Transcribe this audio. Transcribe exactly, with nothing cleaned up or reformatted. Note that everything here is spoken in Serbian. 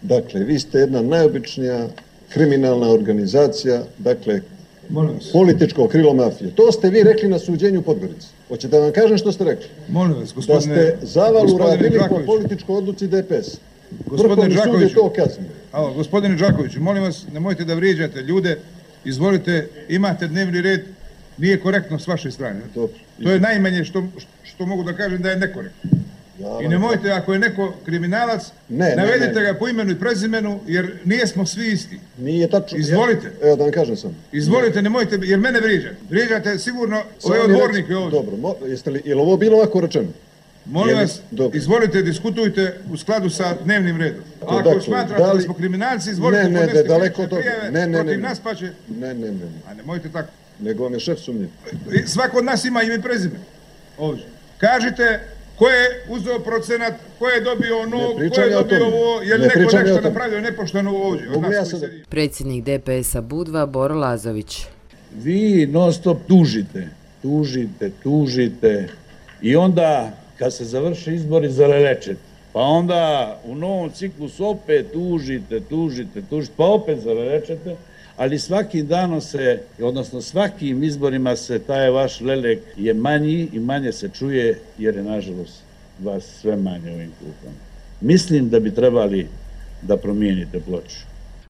Dakle, vi ste jedna najobičnija kriminalna organizacija, dakle, političko krilo mafije. To ste vi rekli na suđenju u Podgorici. Hoćete da vam kažem što ste rekli? Molim vas, gospodine... Da ste zavalu radili po političkoj odluci D P S. Gospodine Đakoviću, to kaznio. Alo, gospodine Đakoviću, molim vas, nemojte da vrijeđate ljude, izvolite, imate dnevni red, nije korektno s vaše strane. Dobro. To je najmanje što, što mogu da kažem da je nekorektno. Ja, I nemojte, ako je neko kriminalac, ne, navedite ne, ne. ga po imenu i prezimenu, jer nijesmo svi isti. Nije tačno. Izvolite. Ja, evo da vam kažem sam. Izvolite, nemojte, jer mene vrijeđate. Vrijeđate sigurno ove odbornike ovdje. Dobro, mo, jeste li, je li ovo bilo ovako rečeno? Molim vas, dobro. Izvolite, diskutujte u skladu sa dnevnim redom. A ako dakle, smatrate da, li... da smo kriminalci, izvolite, ne, ne, podneste daleko prijeve ne, ne, protiv ne, nas, pa će... Ne, ne, ne. A nemojte tako. Nego vam je šef sumnjiv. Svako od nas ima ime i prezime. Ovdje. Kažite ko je uzeo procenat, ko je dobio ono, ko je dobio ovo, jer ne neko nešto napravio nepošteno ovdje. Od nas ja Predsjednik D P S-a Budva, Boro Lazović. Vi non stop tužite, tužite, tužite i onda kad se završi izbori zalelečete, pa onda u novom ciklusu opet tužite, tužite, tužite, pa opet zalelečete, ali svakim danom se, odnosno svakim izborima se taj vaš lelek je manji i manje se čuje, jer je nažalost vas sve manje u ovim klupama. Mislim da bi trebali da promijenite ploču.